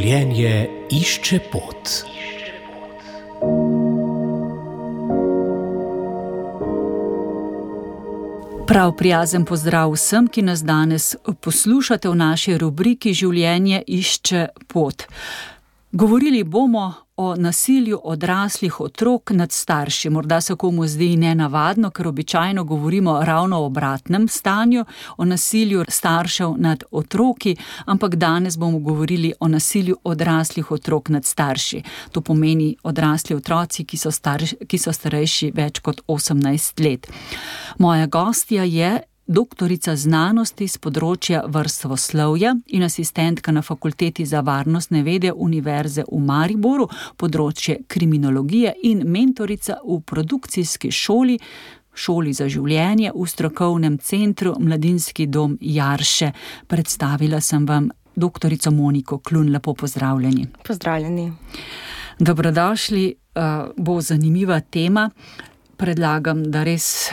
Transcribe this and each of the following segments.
Življenje išče pot. Prav prijazen pozdrav vsem, ki nas danes poslušate v naši rubriki Življenje išče pot. Govorili bomo o nasilju odraslih otrok nad starši. Morda se komu zdi nenavadno, ker običajno govorimo ravno o obratnem stanju, o nasilju staršev nad otroki, ampak danes bomo govorili o nasilju odraslih otrok nad starši. To pomeni odrasli otroci, ki so starejši več kot 18 let. Moja gostja je doktorica znanosti z področja vrstoslovja in asistentka na Fakulteti za varnostne vede Univerze v Mariboru, področje kriminologije in mentorica v produkcijski šoli za življenje v strokovnem centru Mladinski dom Jarše. Predstavila sem vam doktorico Moniko Klun. Lepo pozdravljeni. Pozdravljeni. Dobrodošli, bo zanimiva tema. Predlagam, da res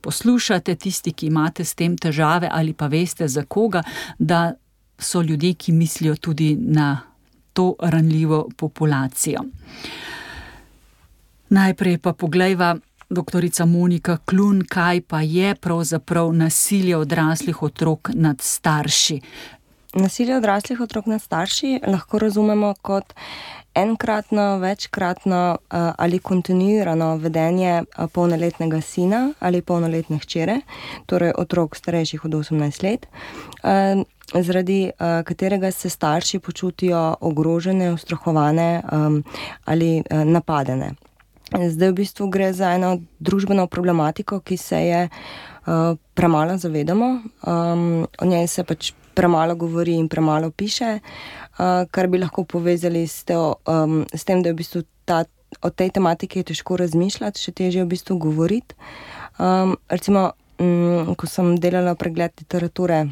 poslušate tisti, ki imate s tem težave ali pa veste za koga, da so ljudje, ki mislijo tudi na to ranljivo populacijo. Najprej pa poglejva, doktorica Monika Klun, kaj pa je pravzaprav nasilje odraslih otrok nad starši. Nasilje odraslih otrok nad starši lahko razumemo kot enkratno, večkratno ali kontinuirano vedenje polnoletnega sina ali polnoletne hčere, torej otrok starejših od 18 let, zaradi katerega se starši počutijo ogrožene, ustrahovane ali napadene. Zdaj v bistvu gre za eno družbeno problematiko, ki se je premalo zavedamo, o njej se pač premalo govori in premalo piše, kar bi lahko povezali s tem, da je v bistvu o tej tematiki je težko razmišljati, še težje v bistvu govoriti. Recimo, ko sem delala pregled literature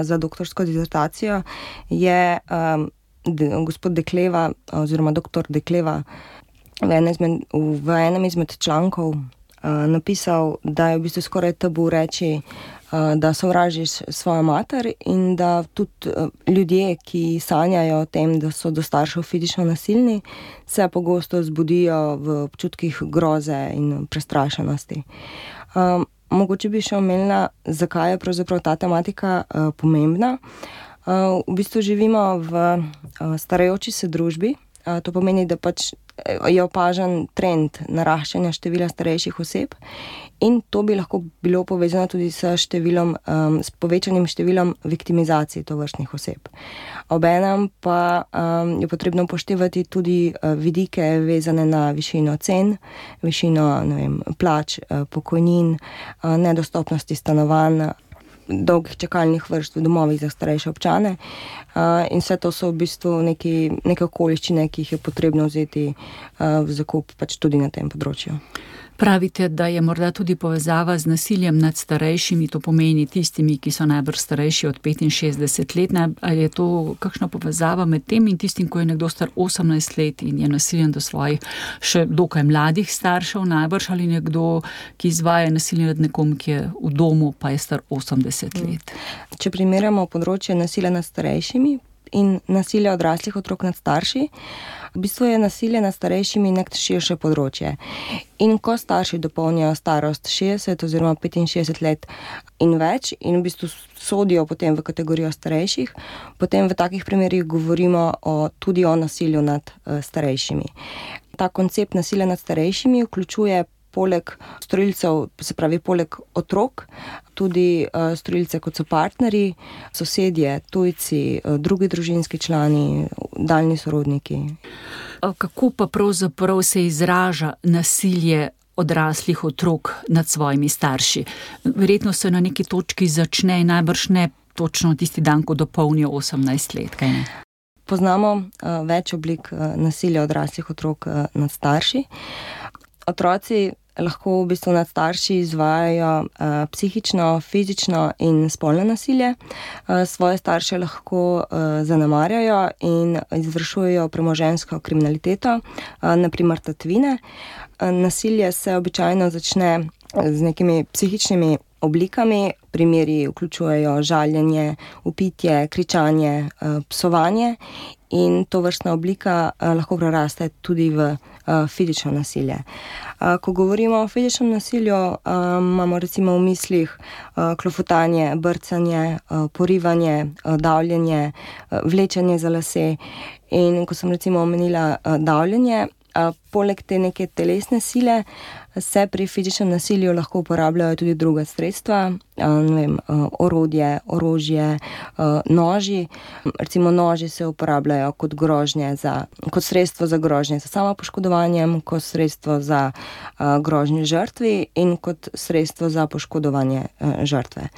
za doktorsko disertacijo, je gospod Dekleva oziroma doktor Dekleva v enem izmed člankov napisal, da je v bistvu skoraj tabu reči, da sovražiš svojo mater in da tudi ljudje, ki sanjajo o tem, da so do staršev fizično nasilni, se pogosto zbudijo v občutkih groze in prestrašenosti. Mogoče bi še omenila, zakaj je pravzaprav ta tematika pomembna. V bistvu živimo v starajoči se družbi. To pomeni, da pač je opažen trend naraščanja števila starejših oseb in to bi lahko bilo povezano tudi s povečanim številom viktimizacij tovrstnih oseb. Obenem pa je potrebno upoštevati tudi vidike vezane na višino cen, višino, plač, pokojnin, nedostopnosti stanovanj, dolgih čakalnih vrst v domovih za starejše občane in vse to so v bistvu neke okoliščine, ki jih je potrebno vzeti v zakup pač tudi na tem področju. Pravite, da je morda tudi povezava z nasiljem nad starejšimi, to pomeni tistimi, ki so najbrž starejši od 65 let. Ali je to kakšna povezava med tem in tistim, ko je nekdo star 18 let in je nasiljen do svojih še dokaj mladih staršev najbrž, ali nekdo, ki izvaja nasilje nad nekom, ki je v domu, pa je star 80 let? Če primerjamo področje nasilja nad starejšimi in nasilje odraslih otrok nad starši, v bistvu je nasilje nad starejšimi nek širše področje. In ko starši dopolnijo starost 60 oziroma 65 let in več in v bistvu sodijo potem v kategorijo starejših, potem v takih primerih govorimo tudi o nasilju nad starejšimi. Ta koncept nasilja nad starejšimi vključuje poleg storilcev, se pravi poleg otrok, tudi storilce kot so partnerji, sosedje, tujci, drugi družinski člani, daljni sorodniki. Kako pa pravzaprav se izraža nasilje odraslih otrok nad svojimi starši? Verjetno se na neki točki začne, najbrž ne točno tisti dan, ko dopolnijo 18 let, kaj ne? Poznamo več oblik nasilja odraslih otrok nad starši. Otroci lahko v bistvu nad starši izvajajo psihično, fizično in spolno nasilje. Svoje starše lahko zanemarjajo in izvršujejo premoženjsko kriminaliteto, na primer tatvine. Nasilje se običajno začne z nekimi psihičnimi oblikami. Primeri vključujejo žaljenje, vpitje, kričanje, psovanje in to vrstna oblika lahko preraste tudi v fizično nasilje. Ko govorimo o fizičnem nasilju, imamo recimo v mislih klofutanje, brcanje, porivanje, davljenje, vlečenje za lase. In ko sem recimo omenila davljenje, poleg te neke telesne sile se pri fizičnem nasilju lahko uporabljajo tudi druga sredstva, orodje, orožje, noži. Recimo noži se uporabljajo kot sredstvo za grožnje za samopoškodovanjem, kot sredstvo za grožnje žrtvi in kot sredstvo za poškodovanje žrtve.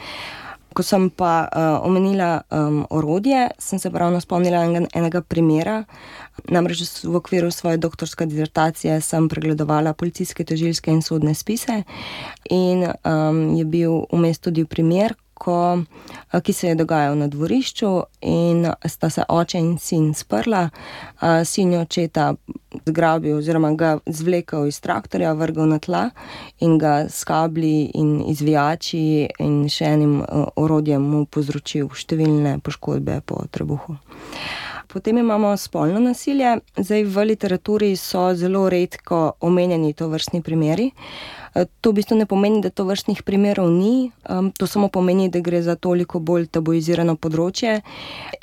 Ko sem pa omenila orodje, sem se ravno spomnila enega primera. Namreč v okviru svoje doktorske dizertacije sem pregledovala policijske, tožilske in sodne spise in je bil vmes tudi primer, ki se je dogajal na dvorišču in sta se oče in sin sprla. Sin je očeta zgrabil oziroma ga zvlekel iz traktorja, vrgel na tla in ga s kabli in izvijači in še enim orodjem mu povzročil številne poškodbe po trebuhu. Potem imamo spolno nasilje. Zdaj v literaturi so zelo redko omenjeni tovrstni primeri. To v bistvu ne pomeni, da tovrstnih primerov ni, to samo pomeni, da gre za toliko bolj tabuizirano področje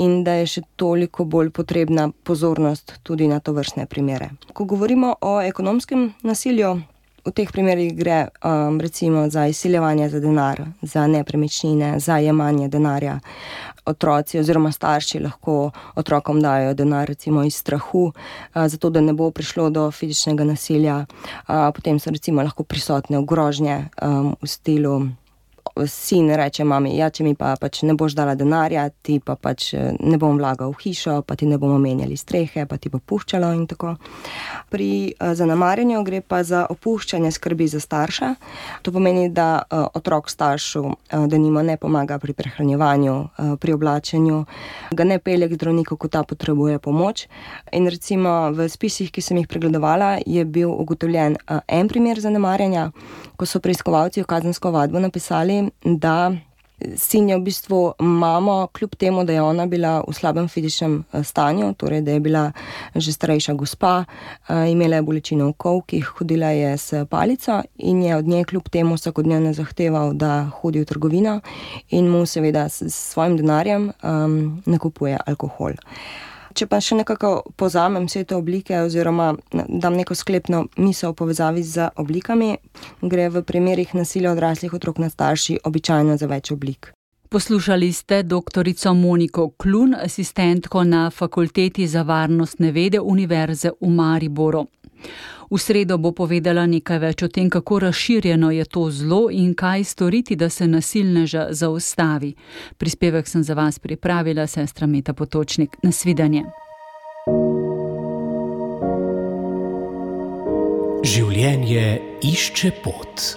in da je še toliko bolj potrebna pozornost tudi na tovrstne primere. Ko govorimo o ekonomskem nasilju, v teh primerih gre recimo za izsiljevanje za denar, za nepremičnine, za jemanje denarja. Otroci oziroma starši lahko otrokom dajo denar recimo iz strahu, zato da ne bo prišlo do fizičnega nasilja. Potem so recimo lahko prisotne grožnje v stilu: sin reče mami, ja, če mi pa pač ne boš dala denarja, ti pa pač ne bom vlagal v hišo, pa ti ne bomo menjali strehe, pa ti bo puščalo in tako. Pri zanemarjanju gre pa za opuščanje skrbi za starša. To pomeni, da otrok staršu denimo ne pomaga pri prehranjevanju, pri oblačenju, ga ne pelje k zdravniku, ko ta potrebuje pomoč. In recimo v spisih, ki sem jih pregledovala, je bil ugotovljen en primer zanemarjanja, ko so preiskovalci v kazensko ovadbo napisali, da sin je v bistvu mamo, kljub temu, da je ona bila v slabem fizičnem stanju, torej da je bila že starejša gospa, imela je bolečine v kolkih, hodila je s palico in je od nje kljub temu vsakodnevno zahteval, da hodi v trgovino in mu seveda s svojim denarjem nakupuje alkohol. Če pa še nekako povzamem vse te oblike oziroma dam neko sklepno misel v povezavi z oblikami, gre v primerih nasilja odraslih otrok nad starši običajno za več oblik. Poslušali ste doktorico Moniko Klun, asistentko na Fakulteti za varnostne vede Univerze v Mariboru. V sredo bo povedala nekaj več o tem, kako razširjeno je to zlo in kaj storiti, da se nasilneža zaustavi. Prispevek sem za vas pripravila sestra Meta Potočnik. Nasvidenje. Življenje išče pot.